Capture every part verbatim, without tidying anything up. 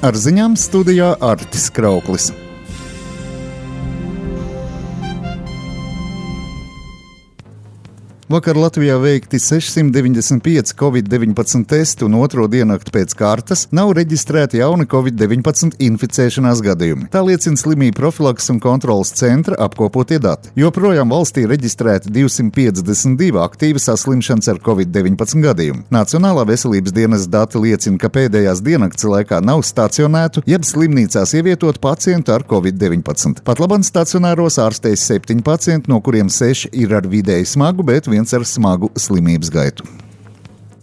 Ar ziņām studijā Artis Krauklis. Vakar Latvijā veikti sešsimt deviņdesmit pieci covid deviņpadsmit testi un otro diennakti pēc kārtas nav reģistrēti jauni covid deviņpadsmit inficēšanās gadījumi. Tā liecina slimību profilakses un kontrolas centra apkopotie dati. Joprojām valstī reģistrēti divsimt piecdesmit divi aktīvi saslimšanas ar covid deviņpadsmit gadījumi. Nacionālā veselības dienas dati liecina, ka pēdējās diennakts laikā nav stacionētu, jeb slimnīcās ievietotu pacientu ar covid deviņpadsmit. Patlaban stacionāros ārstējas septiņi pacienti, no kuriem seši ir ar vidēji smagu, bet viens ar smagu slimības gaitu.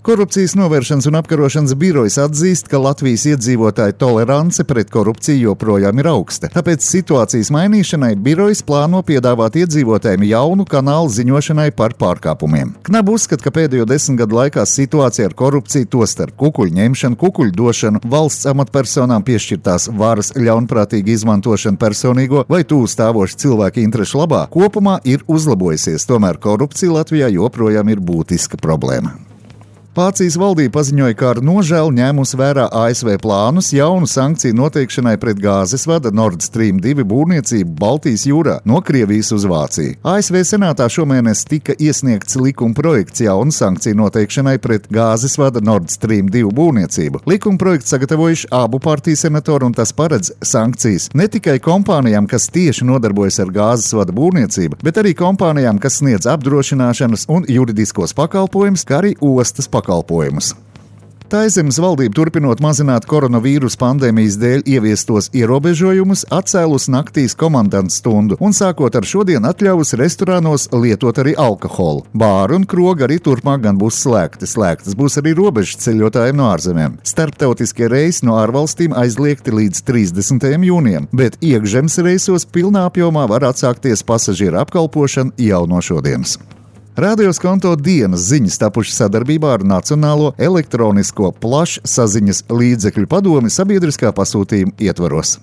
Korupcijas novēršanas un apkarošanas birojas atzīst, ka Latvijas iedzīvotāju tolerance pret korupciju joprojām ir augsta. Tāpēc situācijas mainīšanai birojas plāno piedāvāt iedzīvotājiem jaunu kanālu ziņošanai par pārkāpumiem. Knab uzskata, ka pēdējo desmit gadu laikā situācija ar korupciju, tostarp kukuļu ņemšanu, kukuļu došanu, valsts amatpersonām piešķirtās varas ļaunprātīgu izmantošanu personīgo vai tuvu stāvošu cilvēku interešu labā, kopumā ir uzlabojusies. Tomēr korupcija Latvijā joprojām ir būtiska problēma. Vācijas valdība paziņoja, ka ar nožēlu ņēmusi vērā A S V plānus jaunu sankciju noteikšanai pret gāzes vada Nord Stream divi būvniecību Baltijas jūrā no Krievijas uz Vāciju. A S V senātā šomēnes tika iesniegts likuma projekts jaunu sankciju noteikšanai pret gāzes vada Nord Stream divi būvniecību. Likuma projekts sagatavojuši abu partiju senatori, un tas paredz sankcijas ne tikai kompānijām, kas tieši nodarbojas ar gāzes vada būvniecību, bet arī kompānijām, kas sniedz apdrošināšanas un juridiskos pakalpojumus, kā arī ostas pakalpojumus. pakalpojumus. Taizemes valdība, turpinot mazināt koronavīrus pandēmijas dēļ ieviestos ierobežojumus, atcēlus naktīs komandantu stundu un sākot ar šodien atļaus restorānos lietot arī alkoholu. Bāri un krogi arī turpmāk gan būs slēgti. Slēgtas būs arī robežas ceļotājiem no ārzemēm. Starptautiskie reisi no ārvalstīm aizliegti līdz trīsdesmitajam jūnijam, bet iekšzemes reisos pilnā apjomā var atsākties pasažieru apkalpošana jau no šodienas. Rādio Skonto dienas ziņas tapušas sadarbībā ar Nacionālo elektronisko plašsaziņas līdzekļu padomi sabiedriskā pasūtījuma ietvaros.